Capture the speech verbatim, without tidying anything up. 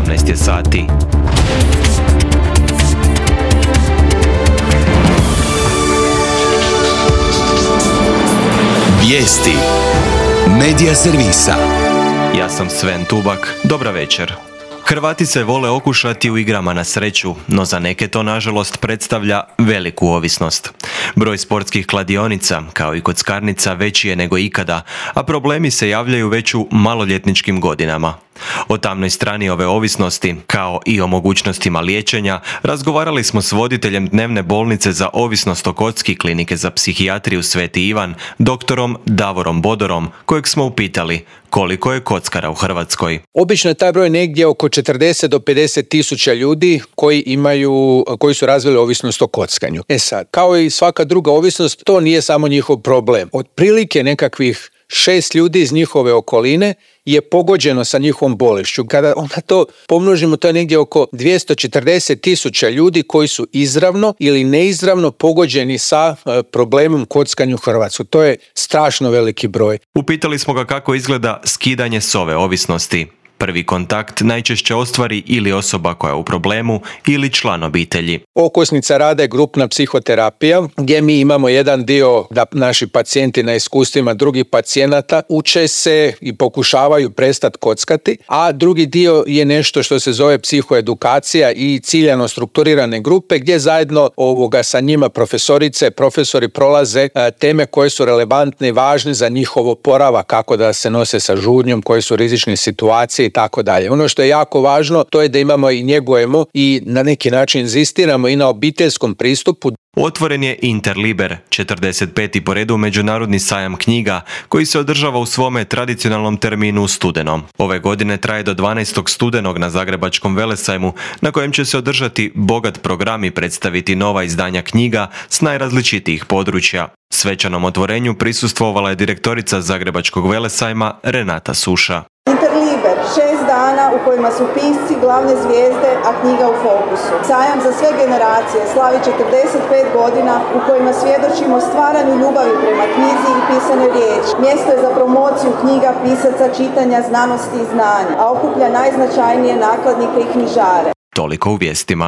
sedamnaest je sati. Vijesti Medija servisa. Ja sam Sven Tubak, dobra večer. Hrvati se vole okušati u igrama na sreću, no za neke to nažalost predstavlja veliku ovisnost. Broj sportskih kladionica, kao i kockarnica, veći je nego ikada, a problemi se javljaju već u maloljetničkim godinama. O tamnoj strani ove ovisnosti, kao i o mogućnostima liječenja, razgovarali smo s voditeljem dnevne bolnice za ovisnost o kocki Klinike za psihijatriju Sveti Ivan, doktorom Davorom Bodorom, kojeg smo upitali koliko je kockara u Hrvatskoj. Obično je taj broj negdje oko četrdeset do pedeset tisuća ljudi koji imaju, koji su razvili ovisnost o kockanju. E sad, kao i svaka druga ovisnost, to nije samo njihov problem. Otprilike nekakvih šest ljudi iz njihove okoline je pogođeno sa njihovom bolešću. Kada onda to pomnožimo, to je negdje oko dvjesto četrdeset tisuća ljudi koji su izravno ili neizravno pogođeni sa problemom kockanja u Hrvatskoj. To je strašno veliki broj. Upitali smo ga kako izgleda skidanje s ove ovisnosti. Prvi kontakt najčešće ostvari ili osoba koja je u problemu ili član obitelji. Okosnica rada je grupna psihoterapija, gdje mi imamo jedan dio da naši pacijenti na iskustvima drugih pacijenata uče se i pokušavaju prestati kockati, a drugi dio je nešto što se zove psihoedukacija i ciljano strukturirane grupe, gdje zajedno ovoga sa njima profesorice, profesori prolaze a, teme koje su relevantne i važne za njihov oporavak, kako da se nose sa žudnjom, koje su rizične situacije i tako dalje. Ono što je jako važno, to je da imamo i njegujemo i na neki način inzistiramo i na obiteljskom pristupu. Otvoren je Interliber, četrdeset peti po redu međunarodni sajam knjiga, koji se održava u svome tradicionalnom terminu u studenom. Ove godine traje do dvanaestog studenog na Zagrebačkom velesajmu, na kojem će se održati bogat program i predstaviti nova izdanja knjiga s najrazličitijih područja. Svečanom otvorenju prisustvovala je direktorica Zagrebačkog velesajma Renata Suša. Interliber, šest dana u kojima su pisci glavne zvijezde, a knjiga u fokusu. Sajam za sve generacije slavi četrdeset pet godina u kojima svjedočimo stvaranju ljubavi prema knjizi i pisanoj riječi. Mjesto je za promociju knjiga, pisaca, čitanja, znanosti i znanja, a okuplja najznačajnije nakladnike i knjižare. Toliko u vijestima.